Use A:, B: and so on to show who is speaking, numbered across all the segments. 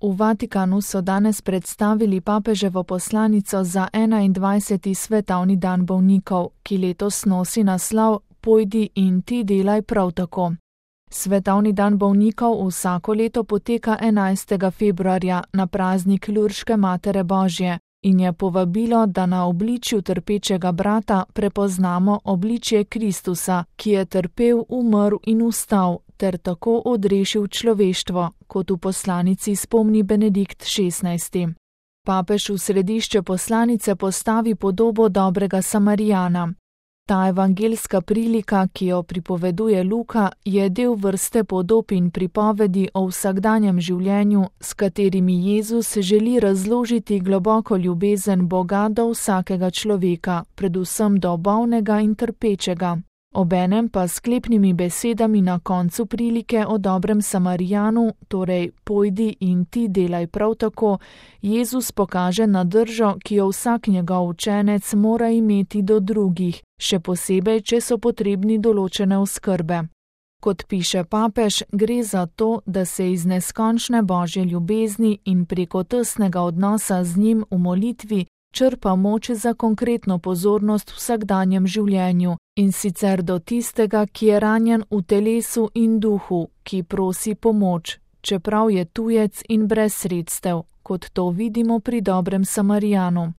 A: V Vatikanu so danes predstavili papeževo poslanico za 21. svetovni dan bolnikov, ki letos nosi naslov Pojdi in ti delaj prav tako. Svetovni dan bolnikov vsako leto poteka 11. februarja na praznik Lurške Matere Božje in je povabilo, da na obličju trpečega brata prepoznamo obličje Kristusa, ki je trpel, umrl in vstal, ter tako odrešil človeštvo, kot v poslanici spomni Benedikt XVI. Papež v središče poslanice postavi podobo dobrega Samarijana. Ta evangelska prilika, ki jo pripoveduje Luka, je del vrste podob in pripovedi o vsakdanjem življenju, s katerimi Jezus želi razložiti globoko ljubezen Boga do vsakega človeka, predvsem do bolnega in trpečega. Obenem pa sklepnimi besedami na koncu prilike o dobrem Samarijanu, torej pojdi in ti delaj prav tako, Jezus pokaže na držo, ki jo vsak njegov učenec mora imeti do drugih, še posebej, če so potrebni določene oskrbe. Kot piše papež, gre za to, da se iz neskončne Božje ljubezni in preko tesnega odnosa z njim v molitvi črpa moč za konkretno pozornost v vsakdanjem življenju, in sicer do tistega, ki je ranjen v telesu in duhu, ki prosi pomoč, čeprav je tujec in brez sredstev, kot to vidimo pri dobrem Samarijanu.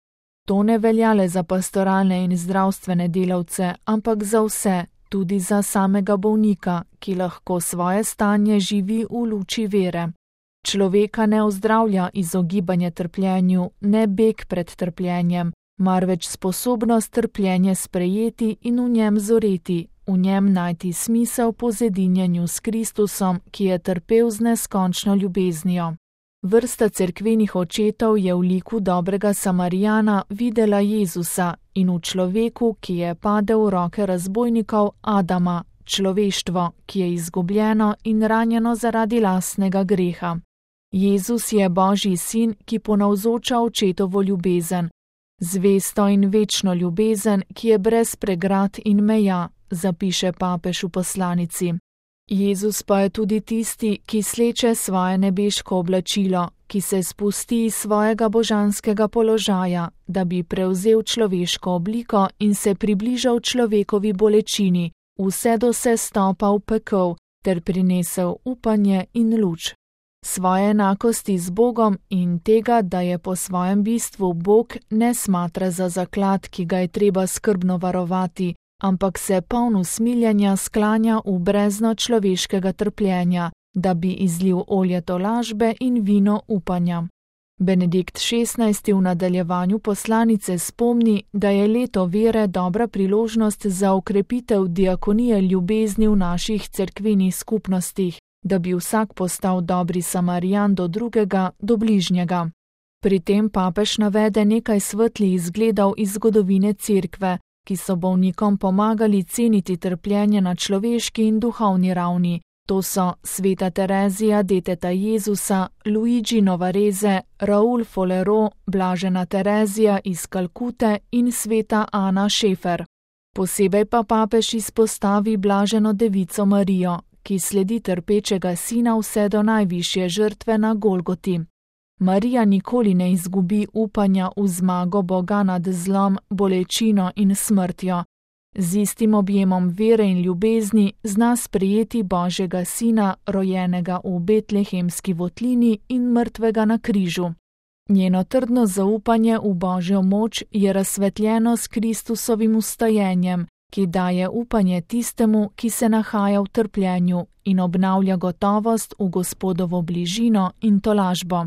A: To ne velja le za pastoralne in zdravstvene delavce, ampak za vse, tudi za samega bolnika, ki lahko svoje stanje živi v luči vere. Človeka ne ozdravlja izogibanje trpljenju, ne beg pred trpljenjem, marveč sposobnost trpljenje sprejeti in v njem zoreti, v njem najti smisel po zedinjenju s Kristusom, ki je trpel z neskončno ljubeznijo. Vrsta cerkvenih očetov je v liku dobrega Samarijana videla Jezusa in v človeku, ki je padel v roke razbojnikov, Adama, človeštvo, ki je izgubljeno in ranjeno zaradi lastnega greha. Jezus je Božji sin, ki ponavzoča očetovo ljubezen, zvesto in večno ljubezen, ki je brez pregrad in meja, zapiše papež v poslanici. Jezus pa je tudi tisti, ki sleče svoje nebeško oblačilo, ki se spusti iz svojega božanskega položaja, da bi prevzel človeško obliko in se približal človekovi bolečini, vse do sestopa v pekel, ter prinesel upanje in luč. Svoje enakosti z Bogom in tega, da je po svojem bistvu Bog, ne smatra za zaklad, ki ga je treba skrbno varovati, ampak se poln usmiljenja sklanja v brezno človeškega trpljenja, da bi izlil olje tolažbe in vino upanja. Benedikt XVI v nadaljevanju poslanice spomni, da je leto vere dobra priložnost za okrepitev diakonije ljubezni v naših cerkvenih skupnostih, da bi vsak postal dobri Samarijan do drugega, do bližnjega. Pri tem papež navede nekaj svetlih izgledov iz zgodovine cerkve, ki so bolnikom pomagali ceniti trpljenje na človeški in duhovni ravni. To so sveta Terezija deteta Jezusa, Luigi Novareze, Raul Folero, blažena Terezija iz Kalkute in sveta Ana Šefer. Posebej pa papež izpostavi blaženo devico Marijo, ki sledi trpečega sina vse do najvišje žrtve na Golgoti. Marija nikoli ne izgubi upanja v zmago Boga nad zlom, bolečino in smrtjo. Z istim objemom vere in ljubezni zna sprejeti Božjega sina, rojenega v betlehemski votlini in mrtvega na križu. Njeno trdno zaupanje v Božjo moč je razsvetljeno s Kristusovim vstajenjem, ki daje upanje tistemu, ki se nahaja v trpljenju in obnavlja gotovost v Gospodovo bližino in tolažbo.